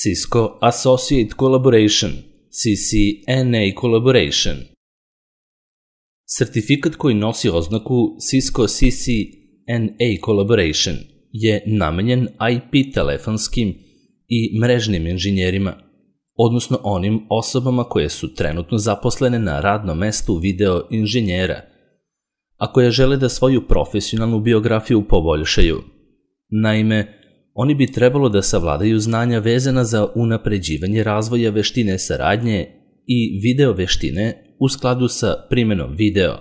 Cisco Associate Collaboration, CCNA Collaboration. Sertifikat koji nosi oznaku Cisco CCNA Collaboration je namenjen IP telefonskim i mrežnim inženjerima, odnosno onim osobama koje su trenutno zaposlene na radnom mestu video inženjera, a koje žele da svoju profesionalnu biografiju poboljšaju. Naime, oni bi trebalo da savladaju znanja vezana za unapređivanje razvoja veštine saradnje i video veštine u skladu sa primenom video,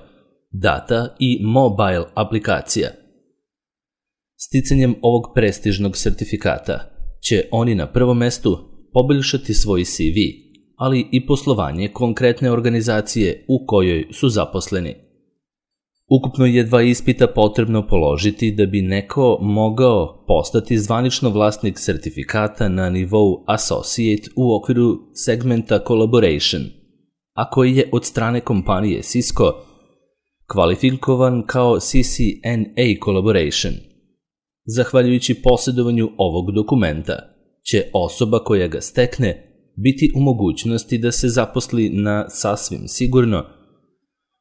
data i mobile aplikacija. Sticanjem ovog prestižnog sertifikata će oni na prvom mestu poboljšati svoj CV, ali i poslovanje konkretne organizacije u kojoj su zaposleni. Ukupno je 2 ispita potrebno položiti da bi neko mogao postati zvanično vlasnik sertifikata na nivou Associate u okviru segmenta Collaboration, a koji je od strane kompanije Cisco kvalifikovan kao CCNA Collaboration. Zahvaljujući posjedovanju ovog dokumenta, će osoba koja ga stekne biti u mogućnosti da se zaposli na sasvim sigurno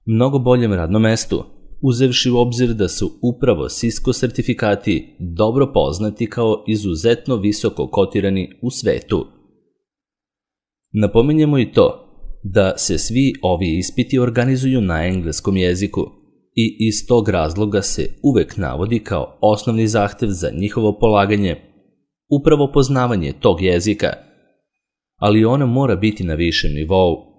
mnogo boljem radnom mestu, uzevši u obzir da su upravo Cisco sertifikati dobro poznati kao izuzetno visoko kotirani u svetu. Napominjemo i to da se svi ovi ispiti organizuju na engleskom jeziku i iz tog razloga se uvek navodi kao osnovni zahtev za njihovo polaganje upravo poznavanje tog jezika, ali ono mora biti na višem nivou.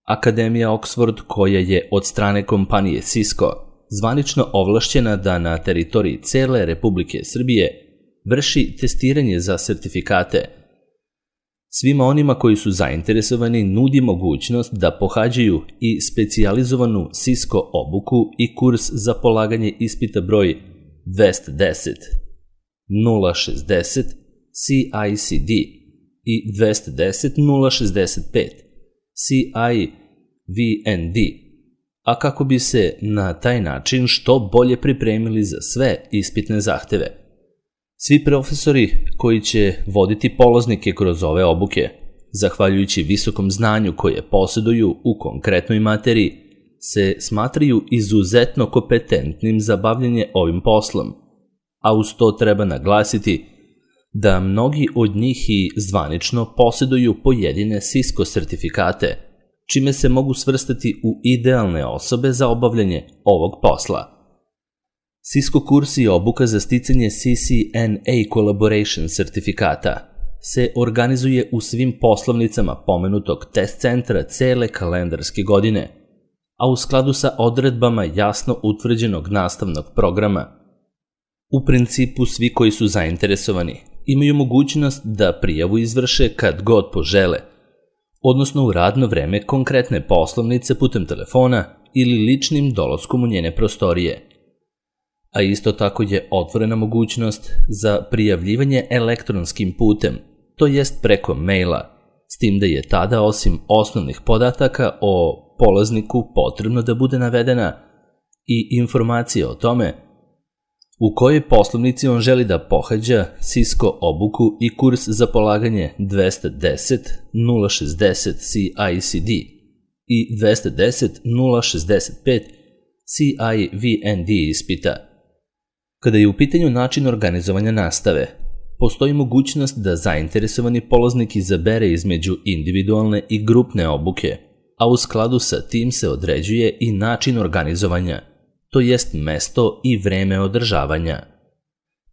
Akademija Oxford, koja je od strane kompanije Cisco zvanično ovlašćena da na teritoriji cele Republike Srbije vrši testiranje za sertifikate, svima onima koji su zainteresovani nudi mogućnost da pohađaju i specijalizovanu Cisco obuku i kurs za polaganje ispita broj 210, 060 CICD i 210 065 CIVND, a kako bi se na taj način što bolje pripremili za sve ispitne zahteve. Svi profesori koji će voditi polaznike kroz ove obuke, zahvaljujući visokom znanju koje posjeduju u konkretnoj materiji, se smatraju izuzetno kompetentnim za bavljanje ovim poslom, a uz to treba naglasiti da mnogi od njih i zvanično posjeduju pojedine Cisco sertifikate, čime se mogu svrstati u idealne osobe za obavljanje ovog posla. Cisco kurs i obuka za sticanje CCNA Collaboration sertifikata se organizuje u svim poslovnicama pomenutog test centra cele kalendarske godine, a u skladu sa odredbama jasno utvrđenog nastavnog programa. U principu svi koji su zainteresovani imaju mogućnost da prijavu izvrše kad god požele, odnosno u radno vreme konkretne poslovnice putem telefona ili ličnim dolaskom u njene prostorije. A isto tako je otvorena mogućnost za prijavljivanje elektronskim putem, to jest preko maila, s tim da je tada osim osnovnih podataka o polazniku potrebno da bude navedena i informacija o tome u kojoj poslovnici on želi da pohađa Cisco obuku i kurs za polaganje 210 060 CICD i 210 065 CIVND ispita. Kada je u pitanju način organizovanja nastave, postoji mogućnost da zainteresovani polaznik izabere između individualne i grupne obuke, a u skladu sa tim se određuje i način organizovanja, to jest mesto i vreme održavanja.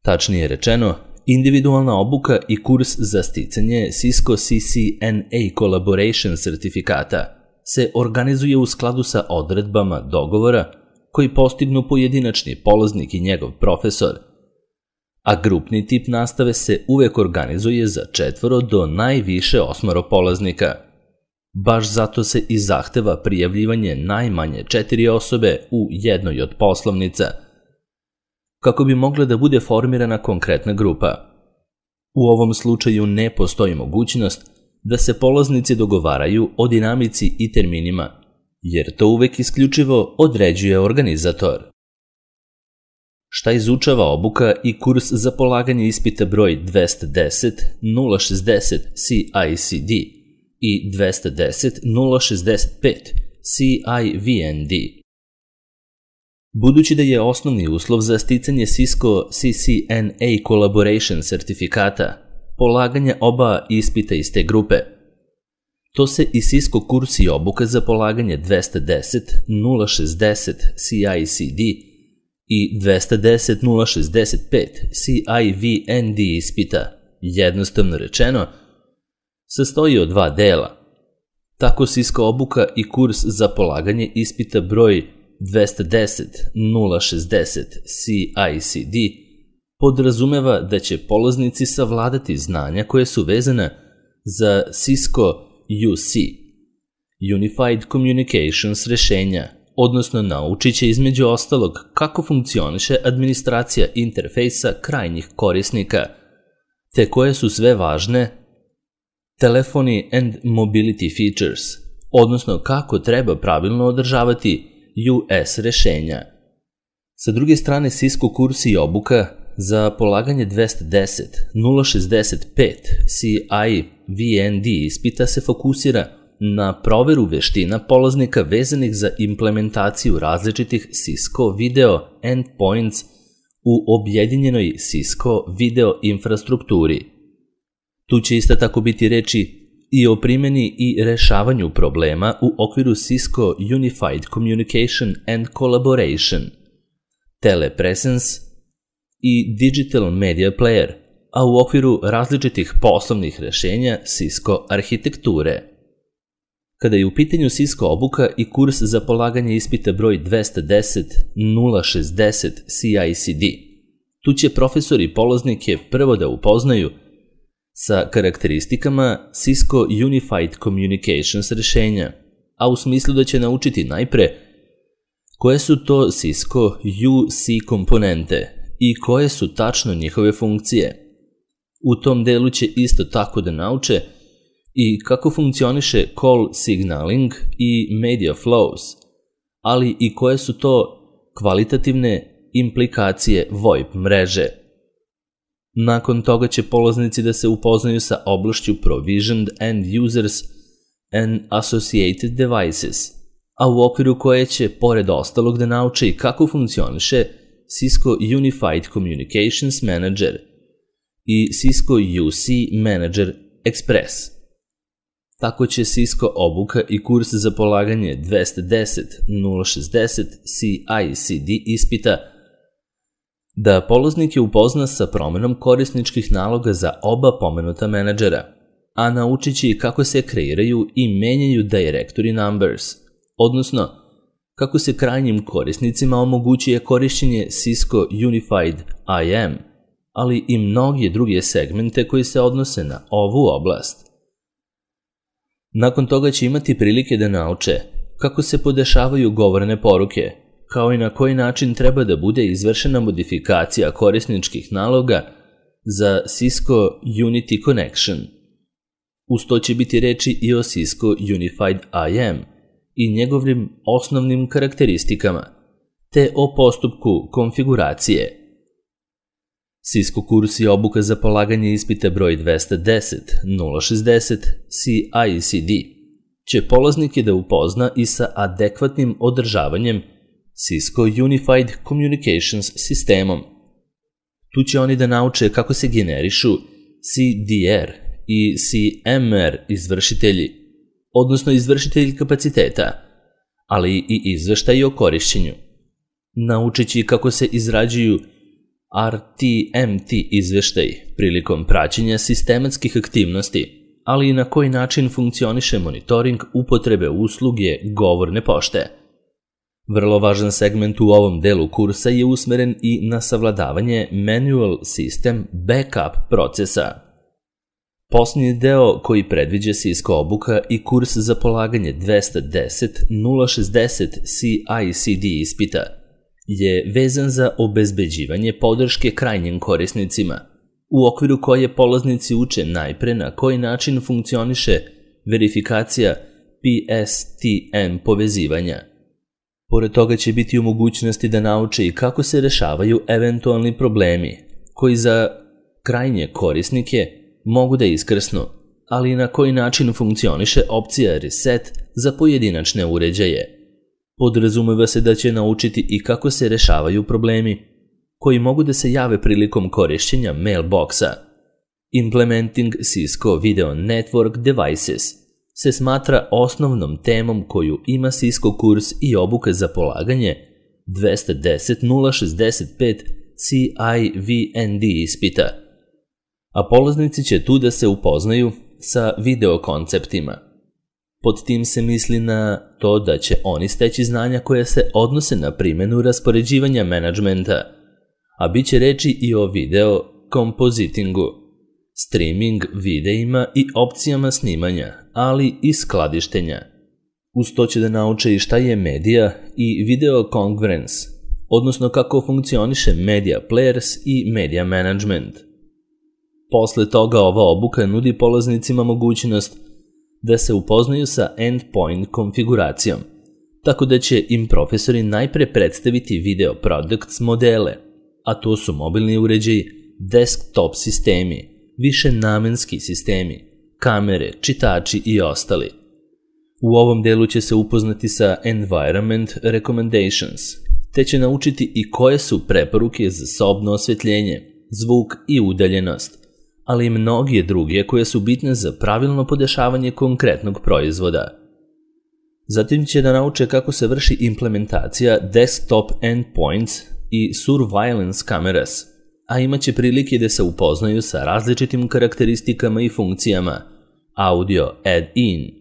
Tačnije rečeno, individualna obuka i kurs za sticanje Cisco CCNA Collaboration sertifikata se organizuje u skladu sa odredbama dogovora koji postignu pojedinačni polaznik i njegov profesor, a grupni tip nastave se uvek organizuje za 4 do najviše 8 polaznika. Baš zato se i zahteva prijavljivanje najmanje 4 osobe u jednoj od poslovnica, kako bi mogla da bude formirana konkretna grupa. U ovom slučaju ne postoji mogućnost da se polaznici dogovaraju o dinamici i terminima, jer to uvek isključivo određuje organizator. Šta izučava obuka i kurs za polaganje ispita broj 210-060 CICD i 210-065 CIVND? Budući da je osnovni uslov za sticanje Cisco CCNA Collaboration sertifikata polaganje oba ispita iz te grupe, to se i Cisco kurs i obuka za polaganje 210-060 CICD i 210-065 CIVND ispita, jednostavno rečeno, sastoji od dva dela. Tako Cisco obuka i kurs za polaganje ispita broj 210-060 CICD podrazumeva da će polaznici savladati znanja koje su vezana za Cisco UC, Unified Communications rešenja, odnosno naučit će između ostalog kako funkcioniše administracija interfejsa krajnjih korisnika, te koje su sve važne telephony and mobility features, odnosno kako treba pravilno održavati US rešenja. Sa druge strane, Cisco kurs i obuka za polaganje 210-065 CIVND ispita se fokusira na proveru veština polaznika vezanih za implementaciju različitih Cisco video endpoints u objedinjenoj Cisco video infrastrukturi. Tu će isto tako biti reči i o primjeni i rešavanju problema u okviru Cisco Unified Communication and Collaboration, Telepresence i Digital Media Player, a u okviru različitih poslovnih rešenja Cisco arhitekture. Kada je u pitanju Cisco obuka i kurs za polaganje ispita broj 210-060 CICD, tu će profesori polaznike prvo da upoznaju sa karakteristikama Cisco Unified Communications rešenja, a u smislu da će naučiti najpre koje su to Cisco UC komponente i koje su tačno njihove funkcije. U tom delu će isto tako da nauče i kako funkcioniše call signaling i media flows, ali i koje su to kvalitativne implikacije VoIP mreže. Nakon toga će polaznici da se upoznaju sa oblašću Provisioned End Users and Associated Devices, a u okviru koje će, pored ostalog, da nauče i kako funkcioniše Cisco Unified Communications Manager i Cisco UC Manager Express. Tako će Cisco obuka i kurs za polaganje 210-060 CICD ispita da polaznike upozna sa promenom korisničkih naloga za oba pomenuta menadžera, a naučit će i kako se kreiraju i menjaju directory numbers, odnosno kako se krajnjim korisnicima omogućuje korišćenje Cisco Unified IM, ali i mnoge druge segmente koji se odnose na ovu oblast. Nakon toga će imati prilike da nauče kako se podešavaju govorene poruke, kao i na koji način treba da bude izvršena modifikacija korisničkih naloga za Cisco Unity Connection. Uz to će biti reči i o Cisco Unified IM i njegovim osnovnim karakteristikama, te o postupku konfiguracije. Cisco kurs i obuka za polaganje ispita broj 210-060 CICD će polaznike da upozna i sa adekvatnim održavanjem Cisco Unified Communications sistemom. Tu će oni da nauče kako se generišu CDR i CMR izvršitelji, odnosno izvršitelji kapaciteta, ali i izveštaji o korišćenju. Naučit će kako se izrađuju RTMT izveštaj prilikom praćenja sistematskih aktivnosti, ali i na koji način funkcioniše monitoring upotrebe usluge govorne pošte. Vrlo važan segment u ovom delu kursa je usmeren i na savladavanje Manual System Backup procesa. Posljednji deo koji predviđa Cisco obuka i kurs za polaganje 210-060 CICD ispita je vezan za obezbeđivanje podrške krajnjim korisnicima, u okviru koje polaznici uče najpre na koji način funkcioniše verifikacija PSTN povezivanja. Pored toga će biti u mogućnosti da nauče i kako se rešavaju eventualni problemi, koji za krajnje korisnike mogu da iskrsnu, ali i na koji način funkcioniše opcija Reset za pojedinačne uređaje. Podrazumeva se da će naučiti i kako se rešavaju problemi koji mogu da se jave prilikom korišćenja mailboxa. Implementing Cisco Video Network Devices se smatra osnovnom temom koju ima Cisco kurs i obuka za polaganje 210.065 CIVND ispita, a polaznici će tu da se upoznaju sa video konceptima. Pod tim se misli na to da će oni steći znanja koje se odnose na primjenu raspoređivanja menadžmenta, a bit će reči i o video kompozitingu, streaming videima i opcijama snimanja, ali i skladištenja. Uz to će da nauče i šta je medija i video conference, odnosno kako funkcioniše media players i media management. Posle toga ova obuka nudi polaznicima mogućnost da se upoznaju sa endpoint konfiguracijom, tako da će im profesori najpre predstaviti video products modele, a to su mobilni uređaji, desktop sistemi, višenamenski sistemi, kamere, čitači i ostali. U ovom delu će se upoznati sa environment recommendations, te će naučiti i koje su preporuke za sobno osvetljenje, zvuk i udaljenost, ali i mnoge druge koje su bitne za pravilno podešavanje konkretnog proizvoda. Zatim će da nauče kako se vrši implementacija desktop endpoints i surveillance cameras, a imaće prilike da se upoznaju sa različitim karakteristikama i funkcijama audio add-in,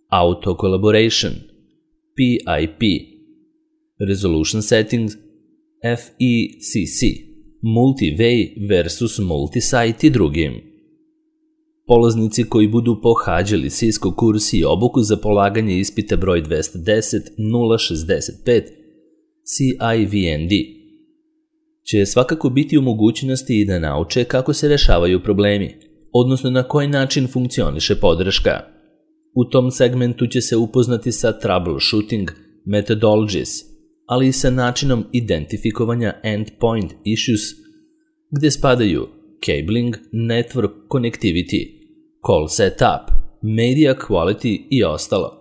auto collaboration, PIP, resolution settings, FECC, multi-way versus multi-site i drugim. Polaznici koji budu pohađali Cisco kurs i obuku za polaganje ispita broj 210.065 CIVND će svakako biti u mogućnosti i da nauče kako se rešavaju problemi, odnosno na koji način funkcioniše podrška. U tom segmentu će se upoznati sa troubleshooting methodologies, ali i sa načinom identifikovanja endpoint issues, gde spadaju cabling, network connectivity, call setup, media quality i ostalo.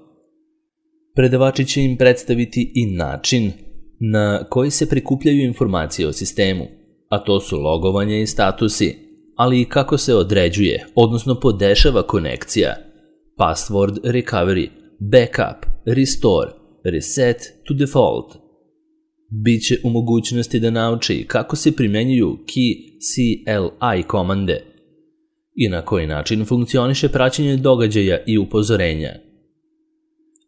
Predavači će im predstaviti i način na koji se prikupljaju informacije o sistemu, a to su logovanje i statusi, ali i kako se određuje, odnosno podešava konekcija, password recovery, backup, restore, reset to default. Biće u mogućnosti da nauče i kako se primenjuju key CLI komande i na koji način funkcioniše praćenje događaja i upozorenja.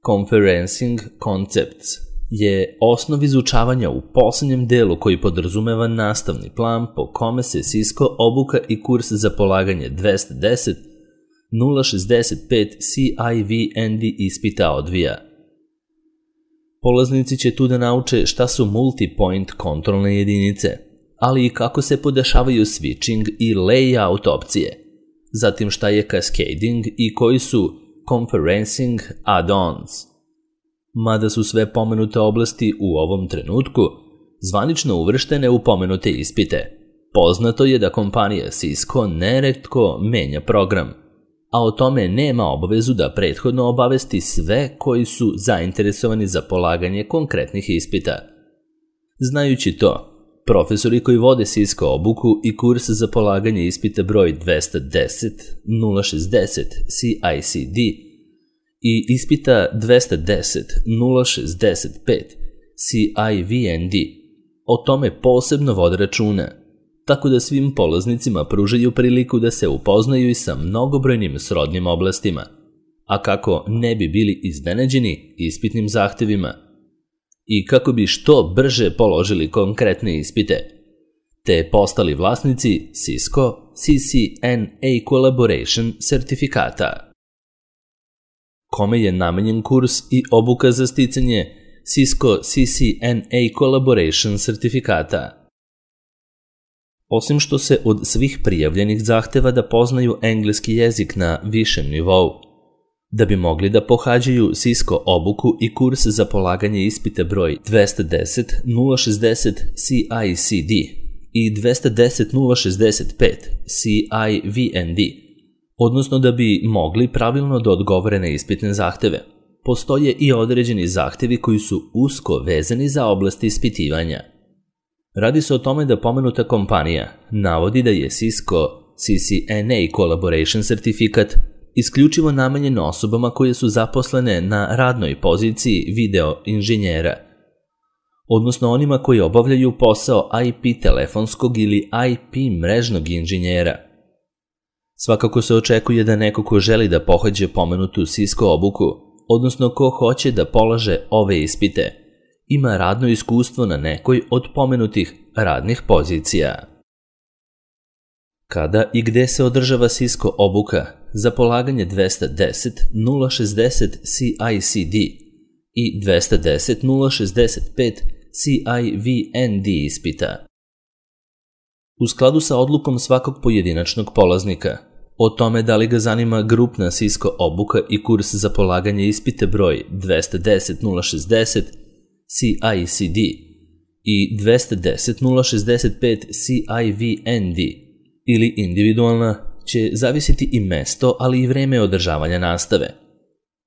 Conferencing concepts je osnov izučavanja u poslednjem delu koji podrazumeva nastavni plan po kome se Cisco obuka i kurs za polaganje 210.065 CIVND ispita odvija. Polaznici će tu da nauče šta su multi-point kontrolne jedinice, ali i kako se podešavaju switching i layout opcije, zatim šta je cascading i koji su conferencing add-ons. Mada su sve pomenute oblasti u ovom trenutku zvanično uvrštene u pomenute ispite, poznato je da kompanija Cisco neretko menja program, a o tome nema obavezu da prethodno obavesti sve koji su zainteresovani za polaganje konkretnih ispita. Znajući to, profesori koji vode Cisco obuku i kurs za polaganje ispita broj 210.060 CICD i ispita 210.065 CIVND o tome posebno vode računa, tako da svim polaznicima pružaju priliku da se upoznaju i sa mnogobrojnim srodnim oblastima, a kako ne bi bili iznenađeni ispitnim zahtevima i kako bi što brže položili konkretne ispite, te postali vlasnici Cisco CCNA Collaboration sertifikata. Kome je namenjen kurs i obuka za sticanje Cisco CCNA Collaboration sertifikata? Osim što se od svih prijavljenih zahteva da poznaju engleski jezik na višem nivou, Da bi mogli da pohađaju Cisco obuku i kurs za polaganje ispita broj 210.060 CICD i 210.065 CIVND, odnosno da bi mogli pravilno da odgovore na ispitne zahteve, postoje i određeni zahtevi koji su usko vezani za oblast ispitivanja. Radi se o tome da pomenuta kompanija navodi da je Cisco CCNA Collaboration sertifikat isključivo namenjen osobama koje su zaposlene na radnoj poziciji video inženjera, odnosno onima koji obavljaju posao IP telefonskog ili IP mrežnog inženjera. Svakako se očekuje da neko ko želi da pohađe pomenutu Cisco obuku, odnosno ko hoće da polaže ove ispite, ima radno iskustvo na nekoj od pomenutih radnih pozicija. Kada i gde se održava Cisco obuka za polaganje 210.060 CICD i 210.065 CIVND ispita? U skladu sa odlukom svakog pojedinačnog polaznika o tome da li ga zanima grupna Cisco obuka i kurs za polaganje ispita broj 210.060 CICD i 210.065 CIVND ili individualna, će zavisiti i mesto, ali i vreme održavanja nastave.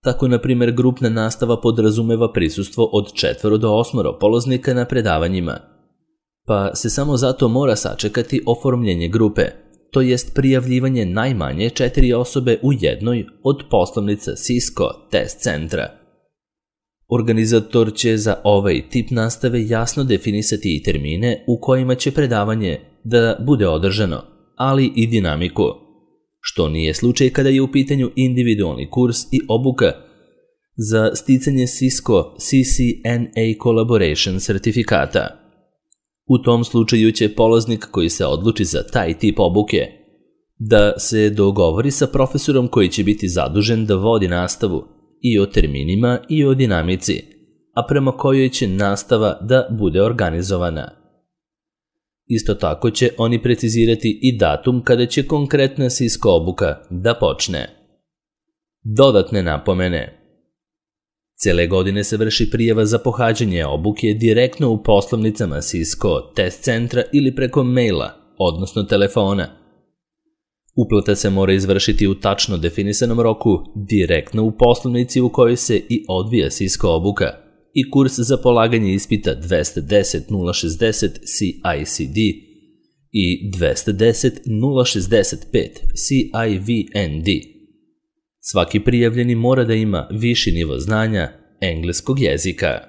Tako, na primjer, grupna nastava podrazumeva prisustvo od 4 do 8 polaznika na predavanjima, pa se samo zato mora sačekati oformljenje grupe, to jest prijavljivanje najmanje 4 osobe u jednoj od poslovnica Cisco test centra. Organizator će za ovaj tip nastave jasno definisati i termine u kojima će predavanje da bude održano, ali i dinamiku, što nije slučaj kada je u pitanju individualni kurs i obuka za sticanje Cisco CCNA Collaboration sertifikata. U tom slučaju će polaznik koji se odluči za taj tip obuke da se dogovori sa profesorom koji će biti zadužen da vodi nastavu i o terminima i o dinamici, a prema kojoj će nastava da bude organizovana. Isto tako će oni precizirati i datum kada će konkretna Cisco obuka da počne. Dodatne napomene. Cele godine se vrši prijava za pohađanje obuke direktno u poslovnicama Cisco test centra ili preko maila, odnosno telefona. Uplata se mora izvršiti u tačno definisanom roku direktno u poslovnici u kojoj se i odvija Cisco obuka i kurs za polaganje ispita 210.060 CICD i 210.065 CIVND. Svaki prijavljeni mora da ima viši nivo znanja engleskog jezika.